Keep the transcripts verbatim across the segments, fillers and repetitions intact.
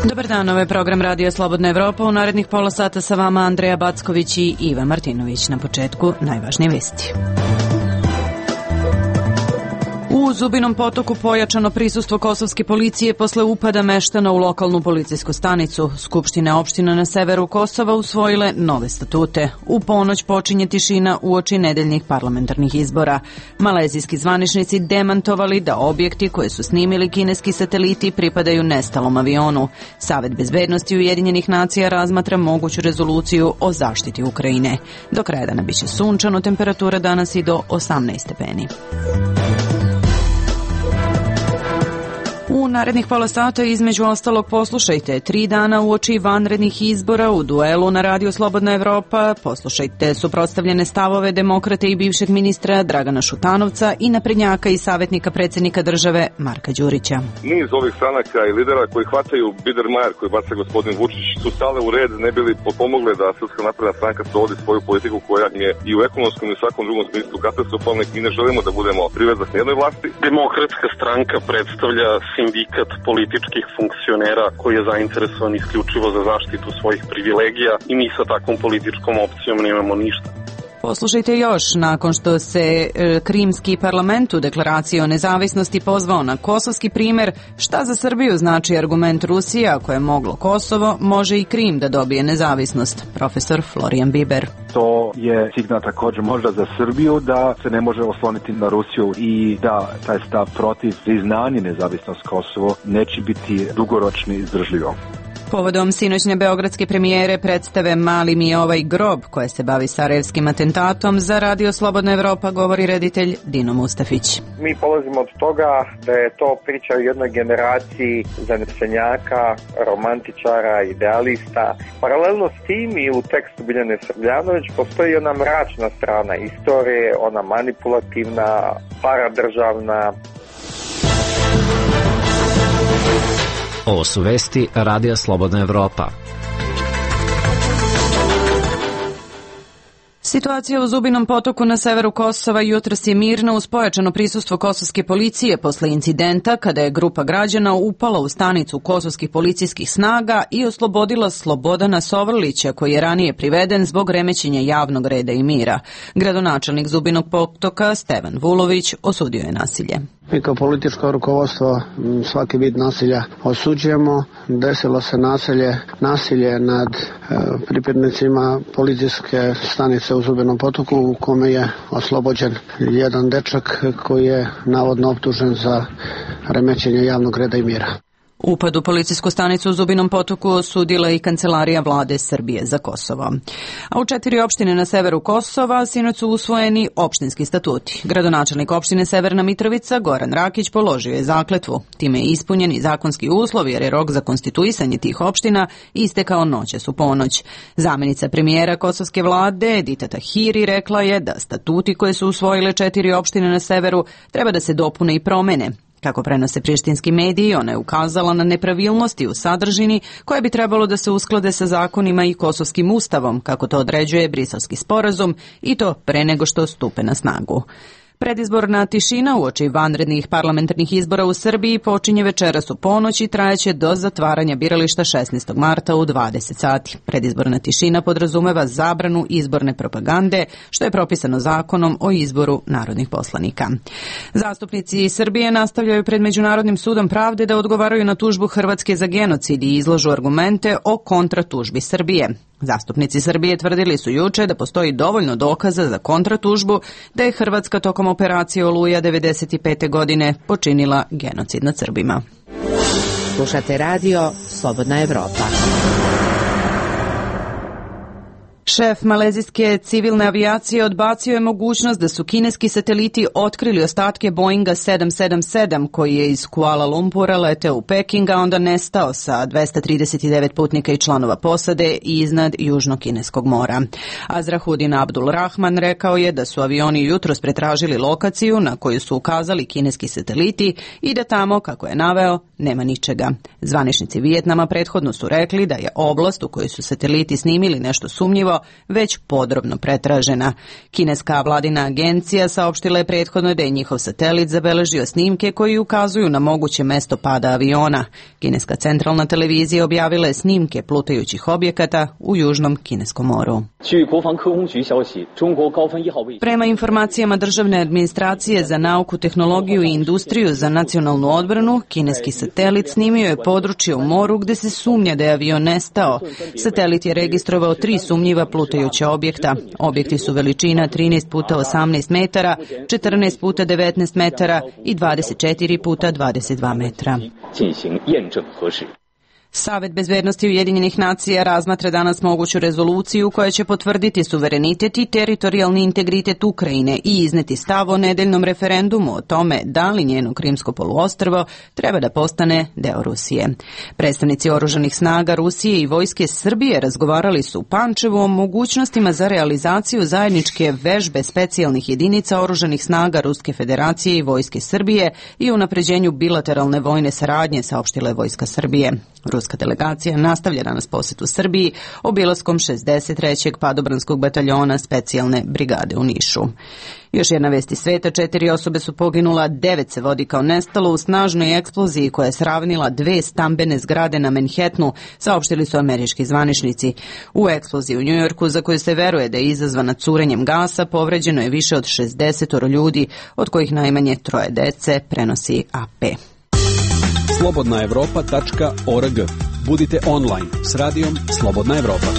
Dobar dan, ovo je program Radio Slobodna Evropa. U narednih pola sata sa vama Andreja Backović i Iva Martinović. Na početku najvažnije vesti. U Zubinom Potoku pojačano prisustvo kosovske policije posle upada meštana u lokalnu policijsku stanicu. Skupštine opština na severu Kosova usvojile nove statute. U ponoć počinje tišina uoči nedeljnih parlamentarnih izbora. Malezijski zvaničnici demantovali da objekti koje su snimili kineski sateliti pripadaju nestalom avionu. Savet bezbednosti Ujedinjenih nacija razmatra moguću rezoluciju o zaštiti Ukrajine. Do kraja dana biće sunčano, temperatura danas i do osamnaest stepeni. U narednih pola sata između ostalog poslušajte tri dana uoči vanrednih izbora u duelu na Radio Slobodna Evropa. Poslušajte suprotstavljene stavove demokrate i bivšeg ministra Dragana Šutanovca i naprednjaka i savjetnika predsjednika države Marka Đurića. Niz ovih stranaka i lidera koji hvataju Biedermajer koji baca gospodin Vučić su stale u red ne bili pomogle da Srpska napredna stranka sprovodi svoju politiku koja je i u ekonomskom i u svakom drugom smislu katastrofalna i ne želimo da budemo privezak jednoj vlasti. Demokratska stranka predstavlja sindikat političkih funkcionera koji je zainteresovan isključivo za zaštitu svojih privilegija i mi sa takvom političkom opcijom nemamo ništa. Poslušajte još, nakon što se e, Krimski parlament u deklaraciji o nezavisnosti pozvao na kosovski primer, šta za Srbiju znači argument Rusije, ako je moglo Kosovo, može i Krim da dobije nezavisnost. Profesor Florijan Biber. To je signal također možda za Srbiju da se ne može osloniti na Rusiju i da taj stav protiv priznanja nezavisnost Kosovo neće biti dugoročni izdržljivo. Povodom sinoćne beogradske premijere predstave Mali mi je ovaj grob koja se bavi sarajevskim atentatom, za Radio Slobodna Evropa govori reditelj Dino Mustafić. Mi polazimo od toga da je to priča o jednoj generaciji zanesenjaka, romantičara, idealista. Paralelno s tim i u tekstu Biljane Srbljanović postoji ona mračna strana istorije, ona manipulativna, paradržavna. Ovo su vesti Radija Slobodna Evropa. Situacija u Zubinom Potoku na severu Kosova jutros je mirna uz pojačano prisustvo kosovske policije posle incidenta kada je grupa građana upala u stanicu kosovskih policijskih snaga i oslobodila Slobodana Sovrlića koji je ranije priveden zbog remećenja javnog reda i mira. Gradonačelnik Zubinog Potoka Stevan Vulović osudio je nasilje. Mi kao političko rukovodstvo svaki vid nasilja osuđujemo. Desilo se nasilje, nasilje nad e, pripadnicima policijske stanice u Zubinom Potoku u kome je oslobođen jedan dečak koji je navodno optužen za remećenje javnog reda i mira. Upad u policijsku stanicu u Zubinom Potoku osudila i Kancelarija vlade Srbije za Kosovo. A u četiri opštine na severu Kosova sinoć su usvojeni opštinski statuti. Gradonačelnik opštine Severna Mitrovica Goran Rakić položio je zakletvu. Time je ispunjen i zakonski uslov jer je rok za konstituisanje tih opština istekao noćas u ponoć. Zamenica premijera kosovske vlade Edita Tahiri rekla je da statuti koje su usvojile četiri opštine na severu treba da se dopune i promene. Kako prenose prištinski mediji, ona je ukazala na nepravilnosti u sadržini koje bi trebalo da se usklade sa zakonima i kosovskim ustavom, kako to određuje Briselski sporazum, i to pre nego što stupe na snagu. Predizborna tišina uoči vanrednih parlamentarnih izbora u Srbiji počinje večeras u ponoć i trajaće do zatvaranja birališta šesnaestog marta u dvadeset sati. Predizborna tišina podrazumeva zabranu izborne propagande, što je propisano zakonom o izboru narodnih poslanika. Zastupnici Srbije nastavljaju pred Međunarodnim sudom pravde da odgovaraju na tužbu Hrvatske za genocid i izlažu argumente o kontratužbi Srbije. Zastupnici Srbije tvrdili su juče da postoji dovoljno dokaza za kontratužbu da je Hrvatska tokom operacije Oluja devedeset pete godine počinila genocid nad Srbima. Slušate Radio Slobodna Evropa. Šef malezijske civilne avijacije odbacio je mogućnost da su kineski sateliti otkrili ostatke Boeinga sedam sedam sedam koji je iz Kuala Lumpura leteo u Peking, a onda nestao sa dvesta trideset devet putnika i članova posade iznad Južno-Kineskog mora. Azrahudin Abdul Rahman rekao je da su avioni jutros pretražili lokaciju na koju su ukazali kineski sateliti i da tamo, kako je naveo, nema ničega. Zvaničnici Vijetnama prethodno su rekli da je oblast u kojoj su sateliti snimili nešto sumnjivo već podrobno pretražena. Kineska vladina agencija saopštila je prethodno da je njihov satelit zabeležio snimke koji ukazuju na moguće mesto pada aviona. Kineska centralna televizija objavila je snimke plutajućih objekata u južnom Kineskom moru. Prema informacijama Državne administracije za nauku, tehnologiju i industriju za nacionalnu odbranu, kineski satelit snimio je područje u moru gde se sumnja da je avion nestao. Satelit je registrovao tri sumnjiva plutajuća objekta. Objekti su veličina trinaest puta osamnaest metara, četrnaest puta devetnaest metara i dvadeset četiri puta dvadeset dva metra. Savet bezbednosti Ujedinjenih nacija razmatra danas moguću rezoluciju koja će potvrditi suverenitet i teritorijalni integritet Ukrajine i izneti stav o nedeljnom referendumu o tome da li njeno Krimsko poluostrvo treba da postane deo Rusije. Predstavnici oružanih snaga Rusije i Vojske Srbije razgovarali su u Pančevu o mogućnostima za realizaciju zajedničke vežbe specijalnih jedinica oružanih snaga Ruske Federacije i Vojske Srbije i unapređenju bilateralne vojne saradnje, saopštila je Vojska Srbije. Ruska delegacija nastavlja danas posetu Srbiji obilaskom šezdeset trećeg padobranskog bataljona specijalne brigade u Nišu. Još jedna vest iz sveta, četiri osobe su poginula, devet se vodi kao nestalo u snažnoj eksploziji koja je sravnila dve stambene zgrade na Manhattanu, saopštili su američki zvaničnici. U eksploziji u Njujorku, za koju se veruje da je izazvana curenjem gasa, povređeno je više od šezdeset ljudi, od kojih najmanje troje dece, prenosi A P. slobodna evropa tačka org. Budite online s radijom Slobodna Evropa.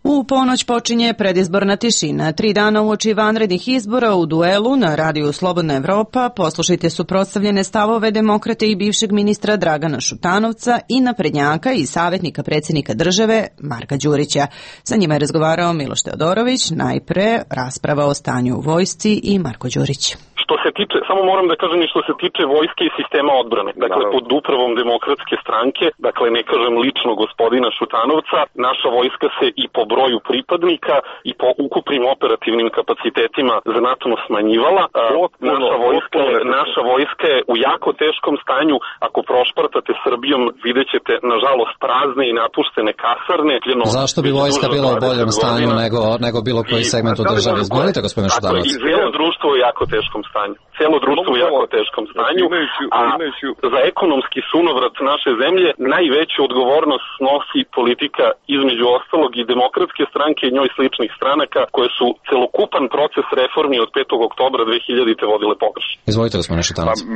U ponoć počinje predizborna tišina. Tri dana uoči vanrednih izbora u duelu na radiju Slobodna Evropa poslušajte suprotstavljene stavove demokrate i bivšeg ministra Dragana Šutanovca i naprednjaka i savjetnika predsjednika države Marka Đurića. Sa njima je razgovarao Miloš Teodorović, najpre rasprava o stanju u vojsci i Marko Đurić. Što se tiče, samo moram da kažem i što se tiče vojske i sistema odbrane. Dakle, pod upravom Demokratske stranke, dakle ne kažem lično gospodina Šutanovca, naša vojska se i po broju pripadnika i po ukupnim operativnim kapacitetima znatno smanjivala. Naša vojska, naša vojska je u jako teškom stanju. Ako prošpartate Srbijom, vidjet ćete, nažalost, prazne i napuštene kasarne. Zašto bi vojska bila u boljem stanju nego, nego bilo koji segment u državi? Izvolite, gospodine Šutanovac. I cijelo društvo u jako teškom stanju. Cijelo društvo u jako teškom stanju, a za ekonomski sunovrat naše zemlje najveću odgovornost snosi politika, između ostalog i Demokratske stranke i njoj sličnih stranaka, koje su celokupan proces reformi od petog oktobra dve hiljadite vodile pogrešno. Izvolite, gospodine Šutanovac. Pa,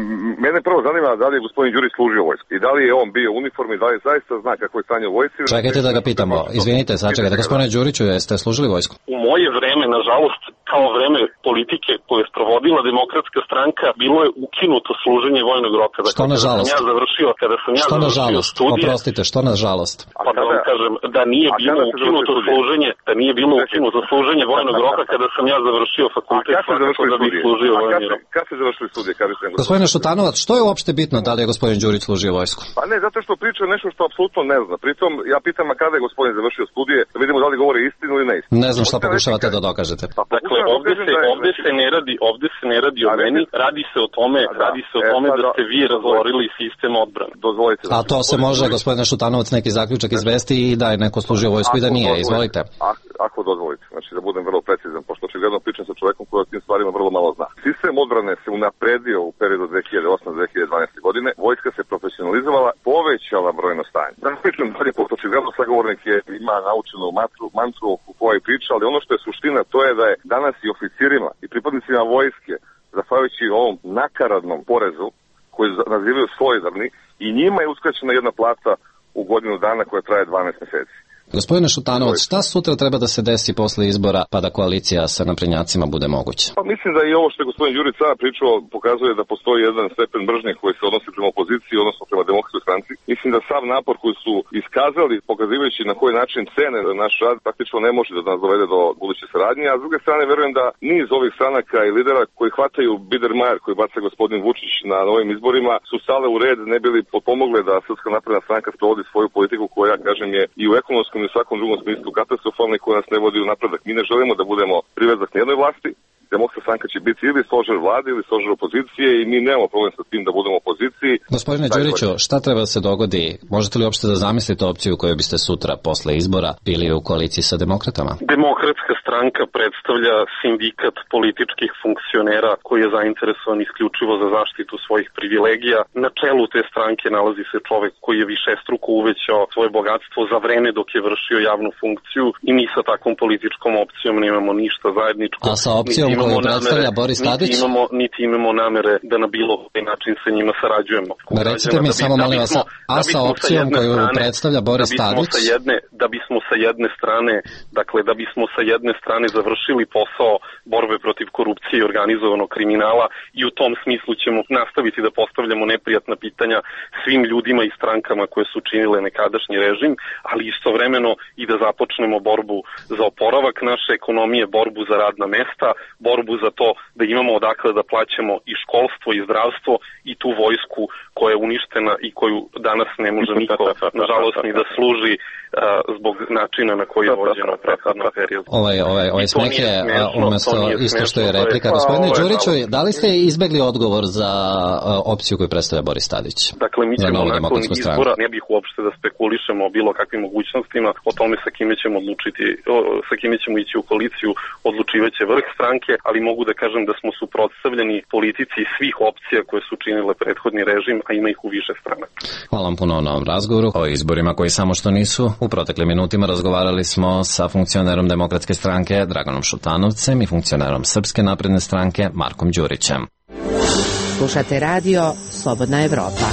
mene prvo zanima da li je gospodin Đurić služio vojsku i da li je on bio u uniformi, da li zaista zna kako je stanje u vojsci. Čekajte da ga pitamo. Izvinite, sačekajte. Gospodine Đuriću, jeste služili vojsku? U moje vreme, nažalost, kao vreme politike koje je sprovodila Demokratska stranka, bilo je ukinuto služenje vojnog roka. Dakle, što nažalost? Ja završio, kada sam ja što završio nažalost? studije, oprostite, što nažalost? Pa da vam kažem, da nije bilo ukinuto služenje, da nije bilo ukinuto služenje vojnog roka kada sam ja završio fakultet, svakako da bih služio vojni rok. Kad ste završili studije? Gospodine Šutanovac, što je uopšte bitno da li je gospodin Đurić služio vojsku? Pa ne, zato što priča nešto što apsolutno ne zna. Pritom, ja pitam, a kada je gospodin završio studije, da vidimo da li govori istinu ili neistinu. Ne znam šta pokušavate da dokažete. Dakle, ovde se, ovde se ne radi, ovde se ne radi o meni, radi se o tome, radi se o tome da ste vi razvorili sistem odbrane. Dozvolite. A to se može, gospodine Šutanovac, neki zaključak izvesti i da je neko služio vojsku i da nije. Izvolite. Ako dozvolite, znači da budem vrlo precizan, pošto očigledno pričam sa čovekom koji o tim stvarima vrlo malo zna. Sistem odbrane se unapredio u periodu dve hiljade osme do dve hiljade dvanaeste. godine, vojska se profesionalizovala, povećala brojno stanje. Da pričam dalje, pošto očigledno sagovornik je, ima naučenu mantru, mantru u kojoj priča, ali ono što je suština, to je da je danas i oficirima i pripadnicima vojske, zahvaljujući ovom nakaradnom porezu, koji nazivaju solidarni, i njima je uskraćena jedna plata u godinu dana koja traje dvanaest meseci. Gospodine Šutanovac, šta sutra treba da se desi posle izbora pa da koalicija sa naprednjacima bude moguća? Pa mislim da i ovo što je gospodin Đurić sada pričao pokazuje da postoji jedan stepen mržnje koji se odnosi prema opoziciji, odnosno prema Demokratskoj stranci. Mislim da sav napor koji su iskazali, pokazivajući na koji način cene naš rad, praktično ne može da nas dovede do buduće saradnje, a s druge strane verujem da niz ovih stranaka i lidera koji hvataju Biedermeier koji baca gospodin Vučić na novim izborima su stale u red, ne bili potpomogle da Srpska napredna stranka sprovodi svoju politiku koja, kažem, je i u ekonomskom i u svakom drugom smislu katastrofalna i koja nas ne vodi u napredak. Mi ne želimo da budemo privezak nijednoj vlasti, Demokratska stranka će biti ili stožer vlade ili stožer opozicije i mi nemamo problem sa tim da budemo u opoziciji. Gospodine Đuriću, šta treba da se dogodi? Možete li uopšte da zamislite opciju koju biste sutra posle izbora bili u koaliciji sa demokratama? Demokratska stranka predstavlja sindikat političkih funkcionera koji je zainteresovan isključivo za zaštitu svojih privilegija. Na čelu te stranke nalazi se čovek koji je višestruko uvećao svoje bogatstvo za vreme dok je vršio javnu funkciju i mi sa takvom političkom opcijom nemamo ništa zajedničko. A sa opcijom koju predstavlja Boris Tadić? Niti imamo, niti imamo namere da na bilo koji način sa njima sarađujemo. Da recite mi da bi, samo molim vas, a sa opcijom koju strane, predstavlja Boris da Tadić? Sa jedne, da bismo sa jedne strane, dakle da bismo sa jedne strane završili posao borbe protiv korupcije i organizovanog kriminala i u tom smislu ćemo nastaviti da postavljamo neprijatna pitanja svim ljudima i strankama koje su činile nekadašnji režim, ali istovremeno i da započnemo borbu za oporavak naše ekonomije, borbu za radna mesta, borbu za to da imamo odakle da plaćamo i školstvo i zdravstvo i tu vojsku koja je uništena i koju danas ne može niko, nažalost, ni da služi uh, zbog načina na koji je vođeno prethodno period. Ovaj, ovaj, ovaj smeh je umesto isto što je replika. Gospodine Đuriću, da li ste izbegli odgovor za uh, opciju koju predstavlja Boris Tadić? Dakle, mi ćemo nakon izbora, ne bih uopšte da spekulišemo o bilo kakvim mogućnostima, o tome sa kime ćemo odlučiti, o, sa kime ćemo ići u koaliciju, odlučivaće vrh stranke, ali mogu da kažem da smo suprotstavljeni politici svih opcija koje su činile prethodni režim, a ima ih u više strana. Hvala vam puno na ovom razgovoru. O izborima koji samo što nisu. U proteklim minutima razgovarali smo sa funkcionerom Demokratske stranke Draganom Šutanovcem i funkcionerom Srpske napredne stranke Markom Đurićem. Slušate radio Slobodna Evropa.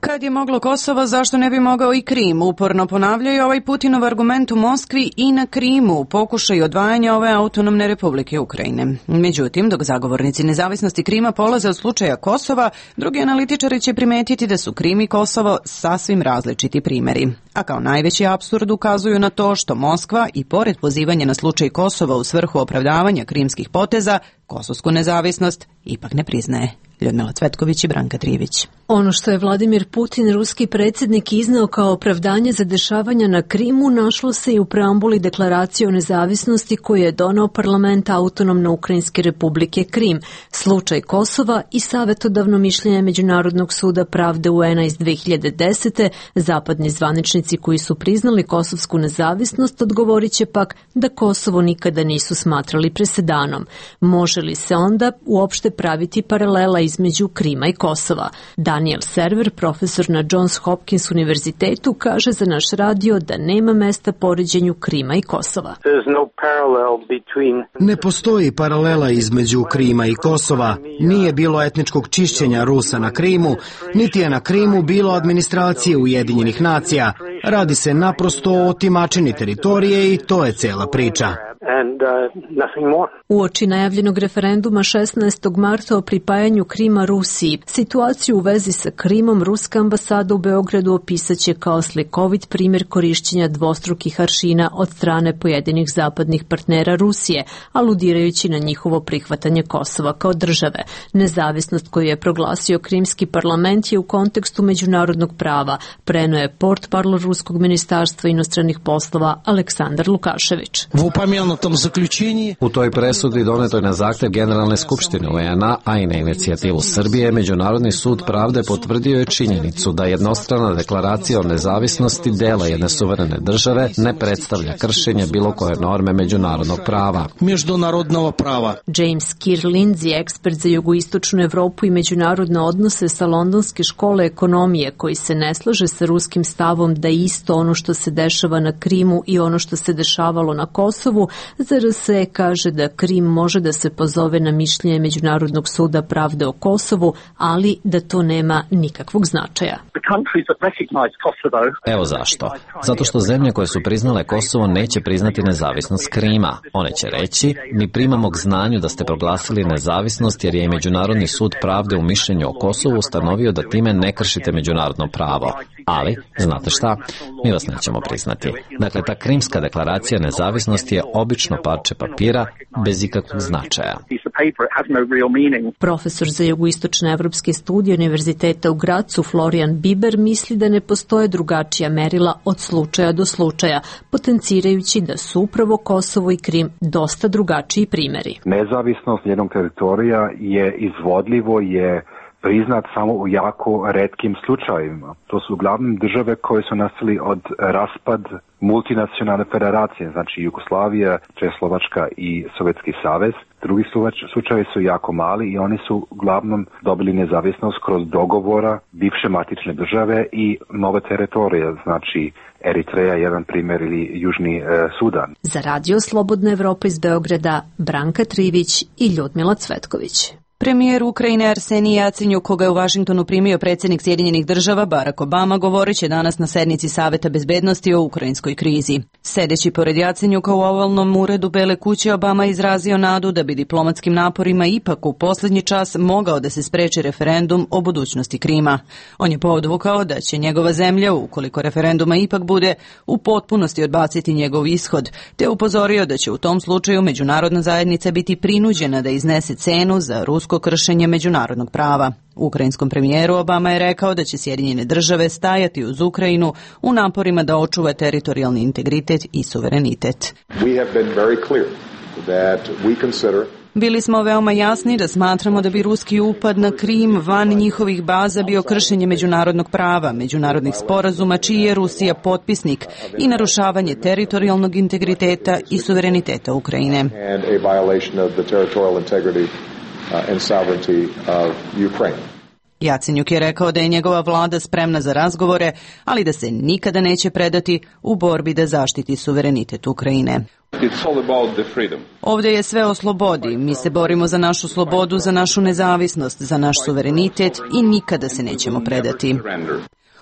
Kad je moglo Kosovo, zašto ne bi mogao i Krim? Uporno ponavljaju ovaj Putinov argument u Moskvi i na Krimu, pokušaj odvajanja ove autonomne republike Ukrajine. Međutim, dok zagovornici nezavisnosti Krima polaze od slučaja Kosova, drugi analitičari će primetiti da su Krim i Kosovo sasvim različiti primeri. A kao najveći apsurd ukazuju na to što Moskva, i pored pozivanja na slučaj Kosova u svrhu opravdavanja krimskih poteza, kosovsku nezavisnost ipak ne priznaje. Ljudmila Cvetković i Branka Trivić. Ono što je Vladimir Putin, ruski predsjednik, izneo kao opravdanje za dešavanja na Krimu našlo se i u preambuli deklaracije o nezavisnosti koju je doneo parlament Autonomne Ukrajinske republike Krim, slučaj Kosova i savjetodavno mišljenje Međunarodnog suda pravde U N-a iz dve hiljade desete. Zapadni zvaničnici koji su priznali kosovsku nezavisnost odgovorit će pak da Kosovo nikada nisu smatrali presedanom. Može li se onda uopšte praviti paralela između Krima i Kosova? Daniel Server, profesor na Johns Hopkins univerzitetu, kaže za naš radio da nema mesta poređenju Krima i Kosova. Ne postoji paralela između Krima i Kosova. Nije bilo etničkog čišćenja Rusa na Krimu, niti je na Krimu bilo administracije Ujedinjenih nacija. Radi se naprosto o otimačini teritorije i to je cela priča. Uoči najavljenog referenduma šesnaestog marta o pripajanju Krima Rusiji, situaciju u vezi sa Krimom ruska ambasada u Beogradu opisaće kao slikovit primjer korišćenja dvostrukih aršina od strane pojedinih zapadnih partnera Rusije, aludirajući na njihovo prihvatanje Kosova kao države. Nezavisnost koju je proglasio krimski parlament je u kontekstu međunarodnog prava, preneo je portparol ruskog ministarstva inostranih poslova Aleksandar Lukašević. U toj presudi donetoj na zahtev Generalne skupštine U N-a, a i na inicijativu Srbije, Međunarodni sud pravde potvrdio je činjenicu da jednostrana deklaracija o nezavisnosti dela jedne suverene države ne predstavlja kršenje bilo koje norme međunarodnog prava. Međunarodnog prava. James Keir Lindsay, ekspert za jugoistočnu Evropu i međunarodne odnose sa Londonske škole ekonomije, koji se ne slaže sa ruskim stavom da isto ono što se dešava na Krimu i ono što se dešavalo na Kosovu, za R S E kaže da Krim može da se pozove na mišljenje Međunarodnog suda pravde o Kosovu, ali da to nema nikakvog značaja. Evo zašto. Zato što zemlje koje su priznale Kosovo neće priznati nezavisnost Krima. One će reći, mi primamo k znanju da ste proglasili nezavisnost jer je i Međunarodni sud pravde u mišljenju o Kosovu ustanovio da time ne kršite međunarodno pravo. Ali, znate šta, mi vas nećemo priznati. Dakle, ta Krimska deklaracija nezavisnosti je obično parče papira bez ikakvog značaja. Profesor za jugoistočne evropske studije Univerziteta u Gracu Florian Biber misli da ne postoje drugačija merila od slučaja do slučaja, potencirajući da su upravo Kosovo i Krim dosta drugačiji primeri. Nezavisnost jednog teritorija je izvodljivo, je priznat samo u jako retkim slučajevima. To su uglavnom države koje su nastali od raspad multinacionalne federacije, znači Jugoslavija, Čehoslovačka i Sovjetski savez. Drugi slučajevi su jako mali i oni su uglavnom dobili nezavisnost kroz dogovora bivše matične države i nove teritorije, znači Eritreja, jedan primjer, ili Južni e, Sudan. Za Radio Slobodna Evropa iz Beograda, Branka Trivić i Ljudmila Cvetković. Premijer Ukrajine Arsenij Jacenjuk, koga je u Vašingtonu primio predsjednik Sjedinjenih država Barack Obama, govorit će danas na sednici Saveta bezbednosti o ukrajinskoj krizi. Sedeći pored Jacenjuka u ovalnom uredu Bele kuće, Obama izrazio nadu da bi diplomatskim naporima ipak u posljednji čas mogao da se spreči referendum o budućnosti Krima. On je podvukao da će njegova zemlja, ukoliko referenduma ipak bude, u potpunosti odbaciti njegov ishod, te upozorio da će u tom slučaju međunarodna zajednica biti prinuđena da iznese cenu za rusko kršenje međunarodnog prava. Ukrajinskom premijeru Obama je rekao da će Sjedinjene države stajati uz Ukrajinu u naporima da očuva teritorijalni integritet i suverenitet. Bili smo veoma jasni da smatramo da bi ruski upad na Krim van njihovih baza bio kršenje međunarodnog prava, međunarodnih sporazuma čiji je Rusija potpisnik i narušavanje teritorijalnog integriteta i suvereniteta Ukrajine. and sovereignty of Ukraine. Jacenjuk je rekao da je njegova vlada spremna za razgovore, ali da se nikada neće predati u borbi da zaštiti suverenitet Ukrajine. Ovdje je sve o slobodi. Mi se borimo za našu slobodu, za našu nezavisnost, za naš suverenitet i nikada se nećemo predati.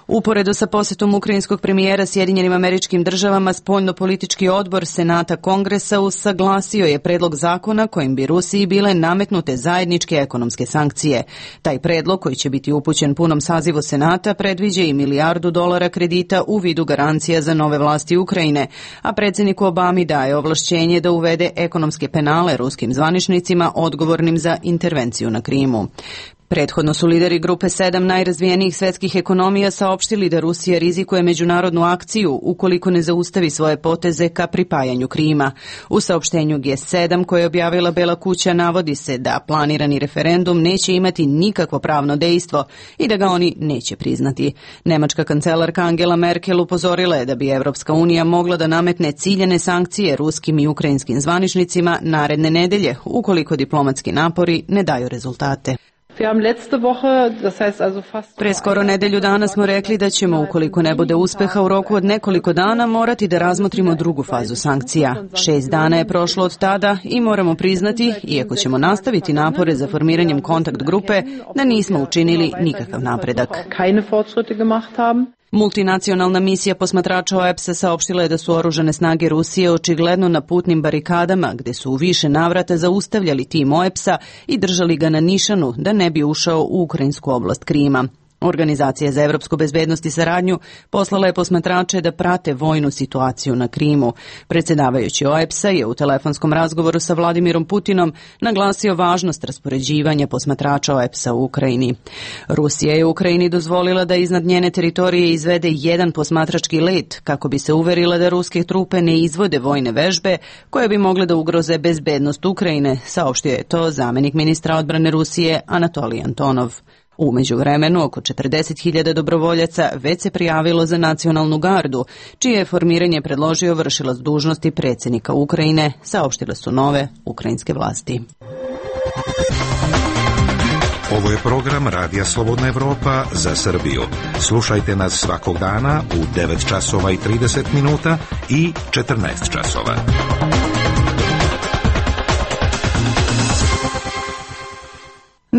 Uporedo sa posjetom ukrajinskog premijera Sjedinjenim Američkim Državama, spoljno-politički odbor Senata Kongresa usaglasio je predlog zakona kojim bi Rusiji bile nametnute zajedničke ekonomske sankcije. Taj predlog, koji će biti upućen punom sazivu Senata, predviđa i milijardu dolara kredita u vidu garancija za nove vlasti Ukrajine, a predsjedniku Obami daje ovlašćenje da uvede ekonomske penale ruskim zvaničnicima odgovornim za intervenciju na Krimu. Prethodno su lideri grupe sedam najrazvijenijih svetskih ekonomija saopštili da Rusija rizikuje međunarodnu akciju ukoliko ne zaustavi svoje poteze ka pripajanju Krima. U saopštenju G sedam koje je objavila Bela kuća navodi se da planirani referendum neće imati nikakvo pravno dejstvo i da ga oni neće priznati. Nemačka kancelarka Angela Merkel upozorila je da bi Evropska unija mogla da nametne ciljane sankcije ruskim i ukrajinskim zvaničnicima naredne nedelje ukoliko diplomatski napori ne daju rezultate. Pre skoro nedelju dana smo rekli da ćemo, ukoliko ne bude uspeha u roku od nekoliko dana, morati da razmotrimo drugu fazu sankcija. Šest dana je prošlo od tada i moramo priznati, iako ćemo nastaviti napore za formiranjem kontakt grupe, da nismo učinili nikakav napredak. Multinacionalna misija posmatrača O E P S-a saopštila je da su oružane snage Rusije očigledno na putnim barikadama, gde su u više navrata zaustavljali tim O E P S-a i držali ga na nišanu da ne bi ušao u ukrajinsku oblast Krima. Organizacija za evropsku bezbednost i saradnju poslala je posmatrače da prate vojnu situaciju na Krimu. Predsjedavajući O E P S-a je u telefonskom razgovoru sa Vladimirom Putinom naglasio važnost raspoređivanja posmatrača O E P S-a u Ukrajini. Rusija je u Ukrajini dozvolila da iznad njene teritorije izvede jedan posmatrački let kako bi se uverila da ruske trupe ne izvode vojne vežbe koje bi mogle da ugroze bezbednost Ukrajine, saopštio je to zamenik ministra odbrane Rusije Anatolij Antonov. U međuvremenu, oko četrdeset hiljada dobrovoljaca već se prijavilo za nacionalnu gardu, čije je formiranje predložio vršilac dužnosti predsjednika Ukrajine, saopštile su nove ukrajinske vlasti. Ovo je program Radija Slobodna Evropa za Srbiju. Slušajte nas svakog dana u devet časova i trideset minuta i četrnaest časova.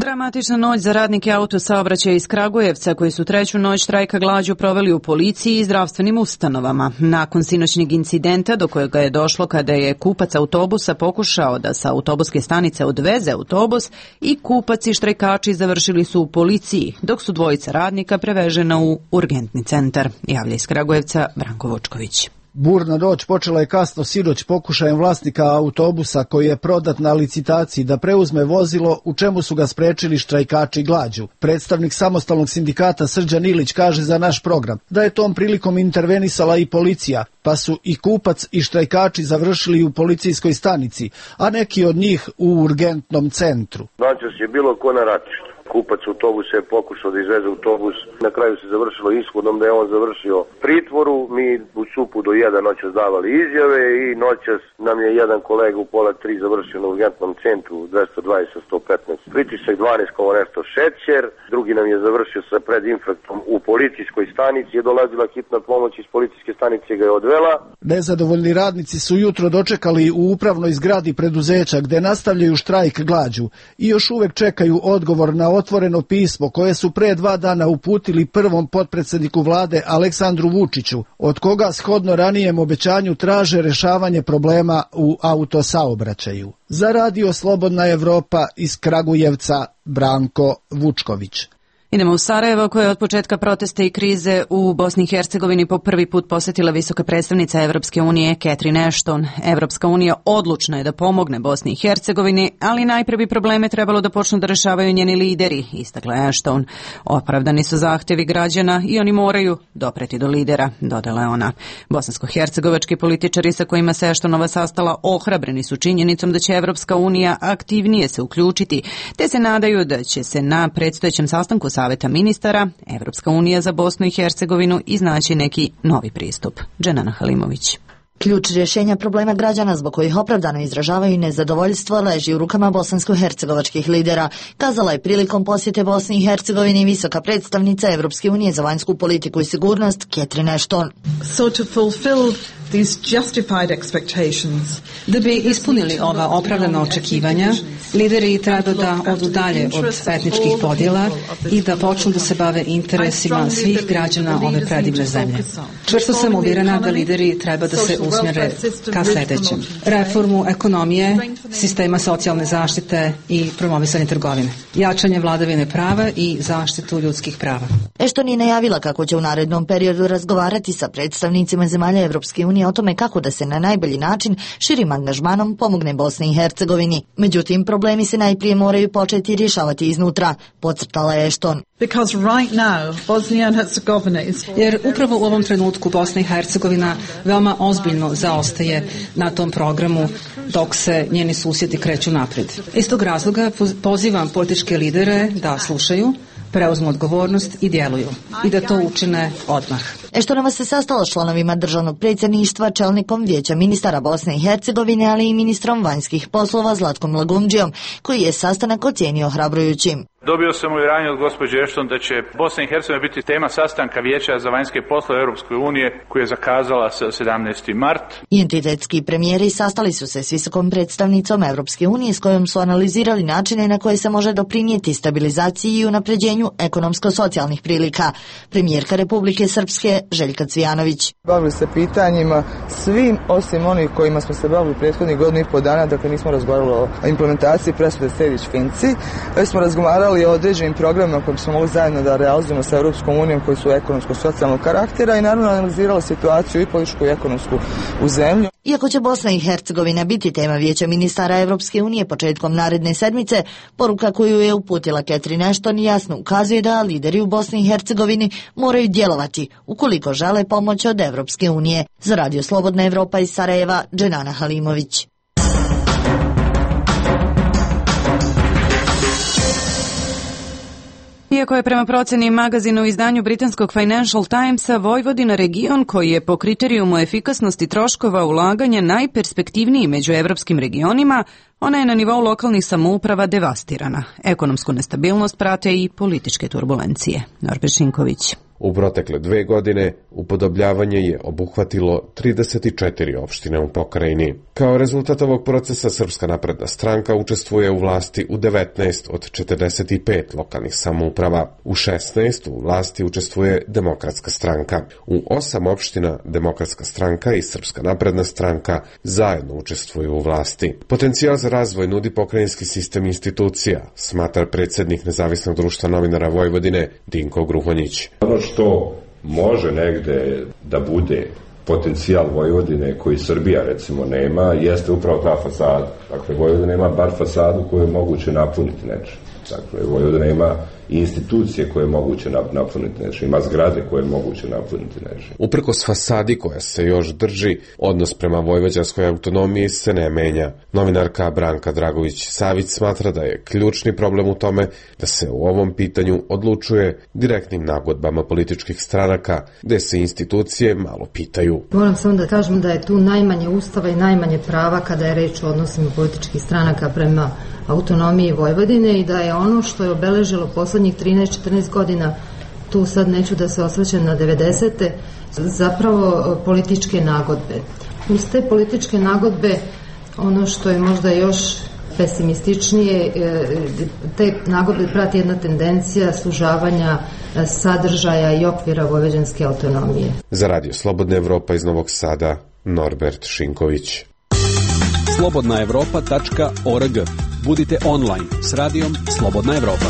Dramatična noć za radnike autosaobraćaja iz Kragujevca koji su treću noć štrajka glađu proveli u policiji i zdravstvenim ustanovama. Nakon sinoćnjeg incidenta do kojega je došlo kada je kupac autobusa pokušao da sa autobuske stanice odveze autobus i kupac i štrajkači završili su u policiji, dok su dvojica radnika prevežena u urgentni centar. Javlja iz Kragujevca Branko Vučković. Burna noć počela je kasno sinoć pokušajem vlasnika autobusa koji je prodat na licitaciji da preuzme vozilo, u čemu su ga sprečili štrajkači glađu. Predstavnik samostalnog sindikata Srđan Ilić kaže za naš program da je tom prilikom intervenisala i policija, pa su i kupac i štrajkači završili u policijskoj stanici, a neki od njih u urgentnom centru. Noćas je bilo ko na ratištu. Kupac autobusa je pokušao da izveze autobus, na kraju se završilo ishodom da je on završio pritvoru. Mi u supu do jedan noćas davali izjave i noćas nam je jedan kolega u pola tri završio na urgentnom centru dvesta dvadeset sto petnaest pritisak, dvanaest koma nešto šećer, drugi nam je završio sa predinfarktom u policijskoj stanici, je dolazila hitna pomoć iz policijske stanice ga je odvela. Nezadovoljni radnici su jutro dočekali u upravnoj zgradi preduzeća gde nastavljaju štrajk glađu i još uvek čekaju odgovor na otvoreno pismo koje su pre dva dana uputili prvom potpredsedniku vlade Aleksandru Vučiću, od koga shodno ranijem obećanju traže rešavanje problema u autosaobraćaju. Za Radio Slobodna Evropa iz Kragujevca Branko Vučković. Idemo u Sarajevo, koje je od početka protesta i krize u Bosni i Hercegovini po prvi put posetila visoka predstavnica Evropske unije Catherine Ashton. Evropska unija odlučna je da pomogne Bosni i Hercegovini, ali najpre bi probleme trebalo da počnu da rešavaju njeni lideri, istakla je Ashton. Opravdani su zahtevi građana i oni moraju dopreti do lidera, dodala je ona. Bosansko-hercegovački političari sa kojima se Ashtonova sastala ohrabreni su činjenicom da će Evropska unija aktivnije se uključiti, te se nadaju da će se na predstojećem sastanku Saveta ministara Evropska unija za Bosnu i Hercegovinu iznaći neki novi pristup. Dženana Halimović. Ključ rješenja problema građana zbog kojih opravdano izražavaju nezadovoljstvo leži u rukama bosansko-hercegovačkih lidera, kazala je prilikom posjete Bosni i Hercegovini visoka predstavnica Evropske unije za vanjsku politiku i sigurnost Catherine Ashton. So to fulfill these justified expectations, da bi ispunili ova opravdana očekivanja, lideri treba da odu dalje od etničkih podjela i da počnu da se bave interesima svih građana ove predivne zemlje. Čvrsto sam uvjerena da lideri treba da se usmjere ka sljedećem: reformu ekonomije, sistema socijalne zaštite i promovisanje trgovine, jačanje vladavine prava i zaštitu ljudskih prava. Ashton je najavila kako će u narednom periodu razgovarati sa predstavnicima zemalja Evropske unije o tome kako da se na najbolji način širim angažmanom pomogne Bosni i Hercegovini. Međutim, problemi se najprije moraju početi rješavati iznutra, podcrtala je Ashton. Because right now, Bosnia and Herzegovina is... Jer upravo u ovom trenutku Bosna i Hercegovina veoma ozbiljno zaostaje na tom programu dok se njeni susjedi kreću napred. Iz tog razloga pozivam političke lidere da slušaju, preuzmu odgovornost i djeluju. I da to učine odmah. Ashtonova se sastala s članovima državnog predsjedništva, čelnikom Vijeća ministara Bosne i Hercegovine, ali i ministrom vanjskih poslova Zlatkom Lagumdžijom, koji je sastanak ocijenio ohrabrujućim. Dobio sam uvjerenje od gospođe Ashton da će Bosna i Hercegovina biti tema sastanka Vijeća za vanjske poslove Europske unije koji je zakazala sa sedamnaesti mart. Entitetski premijeri sastali su se s visokom predstavnicom Europske unije s kojom su analizirali načine na koje se može doprinijeti stabilizaciji i unapređenju ekonomsko-socijalnih prilika. Premijerka Republike Srpske Željka Cvijanović. Bavili se pitanjima svim osim onih kojima smo se bavili prethodnih godinu i po dana, dakle nismo razgovarali o implementaciji presude Sejdić-Finci, već smo razgovarali o određenim programima koje smo mogli zajedno da realizujemo sa Europskom unijom koji su ekonomsko-socijalnog karaktera i naravno analizirali situaciju i političku i ekonomsku u zemlju. Iako će Bosna i Hercegovina biti tema Vijeća ministara Evropske unije početkom naredne sedmice, poruka koju je uputila Catherine Ashton jasno ukazuje da lideri u Bosni i Hercegovini moraju djelovati ukoliko žele pomoć od Evropske unije. Za Radio Slobodna Evropa iz Sarajeva, Dženana Halimović. Iako je prema proceni magazinu u izdanju britanskog Financial Timesa Vojvodina region koji je po kriterijumu efikasnosti troškova ulaganja najperspektivniji među evropskim regionima, ona je na nivou lokalnih samouprava devastirana. Ekonomsku nestabilnost prate i političke turbulencije. Norbert Šinković. U protekle dve godine upodobljavanje je obuhvatilo trideset četiri opštine u pokrajini. Kao rezultat ovog procesa Srpska napredna stranka učestvuje u vlasti u devetnaest od četrdeset pet lokalnih samouprava. U šesnaest u vlasti učestvuje Demokratska stranka. U osam opština Demokratska stranka i Srpska napredna stranka zajedno učestvuju u vlasti. Potencijal za razvoj nudi pokrajinski sistem institucija, smatra predsjednik Nezavisnog društva novinara Vojvodine Dinko Gruhonjić. Ono što može negde da bude potencijal Vojvodine koji Srbija recimo nema, jeste upravo ta fasada. Dakle, Vojvodina ima bar fasadu koju je moguće napuniti nečim. Dakle, Vojvodina ima institucije koje je moguće napuniti nečim, ima zgrade koje je moguće napuniti nečim. Uprkos fasadi koja se još drži, odnos prema vojvođanskoj autonomiji se ne menja. Novinarka Branka Dragović-Savić smatra da je ključni problem u tome da se u ovom pitanju odlučuje direktnim nagodbama političkih stranaka, gde se institucije malo pitaju. Moram samo da kažem da je tu najmanje ustava i najmanje prava kada je reč o odnosima političkih stranaka prema autonomiji Vojvodine i da je ono što je obeležilo poslednjih trinaest četrnaest godina, tu sad neću da se osvrćem na devedesete, zapravo političke nagodbe. Uz te političke nagodbe, ono što je možda još pesimističnije, te nagodbe prati jedna tendencija sužavanja sadržaja i okvira vojvođanske autonomije. Za Radio Slobodna Evropa iz Novog Sada, Norbert Šinković. slobodna evropa tačka org. Budite online s radijom Slobodna Evropa.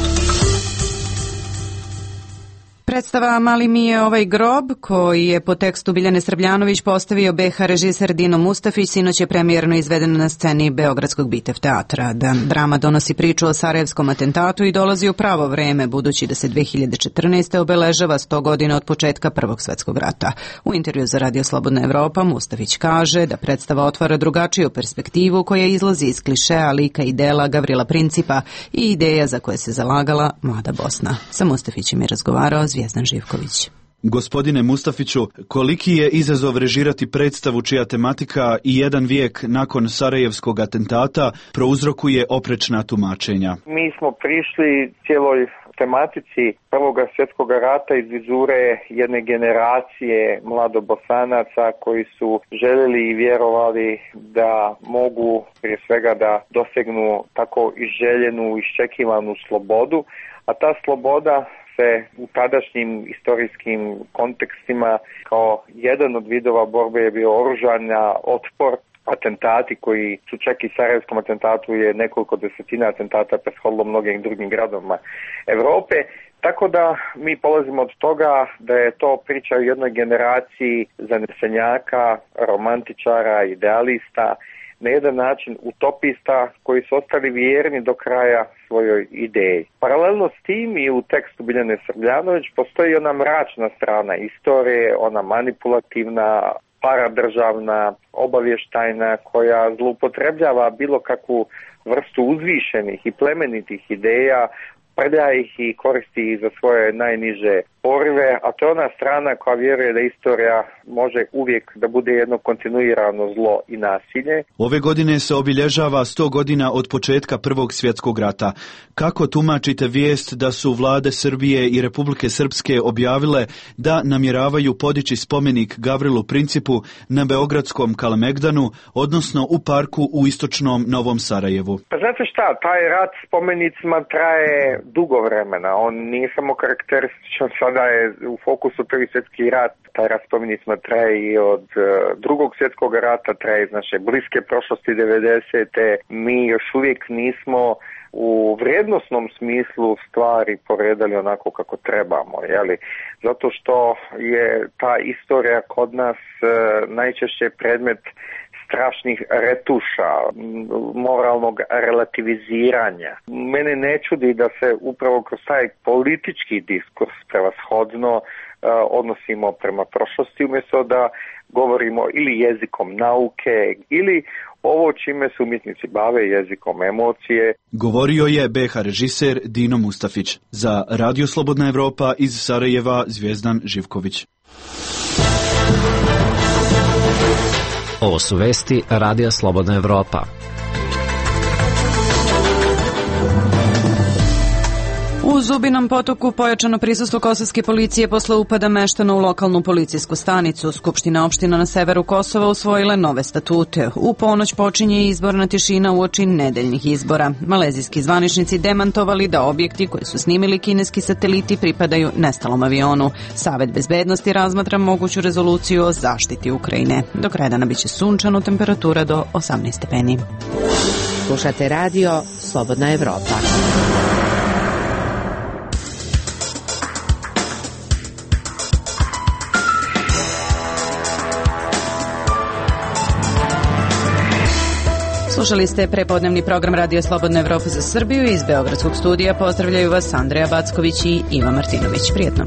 Predstava Mali mi je ovaj grob, koji je po tekstu Biljane Srbljanović postavio be ha režiser Dino Mustafić, sinoć je premijerno izvedena na sceni Beogradskog Bitev teatra. Drama donosi priču o sarajevskom atentatu i dolazi u pravo vreme, budući da se dve hiljade četrnaeste. obeležava sto godina od početka Prvog svetskog rata. U intervju za Radio Slobodna Evropa Mustafić kaže da predstava otvara drugačiju perspektivu koja izlazi iz klišeja lika i dela Gavrila Principa i ideja za koje se zalagala Mlada Bosna. Sa Mustafićem je razgovarao Zvijezdan Živković. Gospodine Mustafiću, koliki je izazov režirati predstavu čija tematika i jedan vijek nakon Sarajevskog atentata prouzrokuje oprečna tumačenja? Mi smo prišli cijeloj tematici Prvog svjetskog rata iz vizure jedne generacije mladobosanaca koji su željeli i vjerovali da mogu prije svega da dosegnu tako i željenu, iščekivanu slobodu, a ta sloboda se u tadašnjim istorijskim kontekstima kao jedan od vidova borbe je bio oružana otpor, atentati koji su čak i sarajevskom atentatu je nekoliko desetina atentata prethodilo mnogim drugim gradovima Evrope. Tako da mi polazimo od toga da je to priča o jednoj generaciji zanesenjaka, romantičara, idealista, na jedan način utopista koji su ostali vjerni do kraja svojoj ideji. Paralelno s tim i u tekstu Biljane Srbljanović postoji ona mračna strana istorije, ona manipulativna, paradržavna, obavještajna koja zloupotrebljava bilo kakvu vrstu uzvišenih i plemenitih ideja, prlja ih i koristi ih za svoje najniže porive, a to je ona strana koja vjeruje da istorija može uvijek da bude jedno kontinuirano zlo i nasilje. Ove godine se obilježava sto godina od početka Prvog svjetskog rata. Kako tumačite vijest da su vlade Srbije i Republike Srpske objavile da namjeravaju podići spomenik Gavrilu Principu na beogradskom Kalemegdanu, odnosno u parku u istočnom Novom Sarajevu? Pa znate šta, taj rat spomenicima traje dugo vremena. On nije samo karakterističan, sada je u fokusu Prvi svjetski rat. Taj rat spomenicima traje i od uh, Drugog svjetskog rata, traje iz naše bliske prošlosti devedesete. Mi još uvijek nismo u vrijednosnom smislu stvari poredali onako kako trebamo, jeli? Zato što je ta istorija kod nas uh, najčešće predmet strašnih retuša, moralnog relativiziranja. Mene ne čudi da se upravo kroz taj politički diskurs prevashodno uh, odnosimo prema prošlosti, umjesto da govorimo ili jezikom nauke ili ovo čime se umjetnici bave, jezikom emocije. Govorio je be ha režiser Dino Mustafić. Za Radio Slobodna Evropa iz Sarajeva Zvijezdan Živković. Ovo su vesti Radija Slobodna Evropa. U U Zubinom Potoku pojačano prisustvo kosovske policije posle upada meštana u lokalnu policijsku stanicu. Skupština opština na severu Kosova usvojile nove statute. U ponoć počinje izborna tišina uoči nedeljnih izbora. Malezijski zvaničnici demantovali da objekti koji su snimili kineski sateliti pripadaju nestalom avionu. Savet bezbednosti razmatra moguću rezoluciju o zaštiti Ukrajine. Do kraja dana biće sunčano, temperatura do osamnaest stepeni. Slušate radio Slobodna Evropa. Slušali ste prepodnevni program Radio Slobodna Evropa za Srbiju. Iz Beogradskog studija pozdravljaju vas Andreja Backović i Iva Martinović. Prijetno.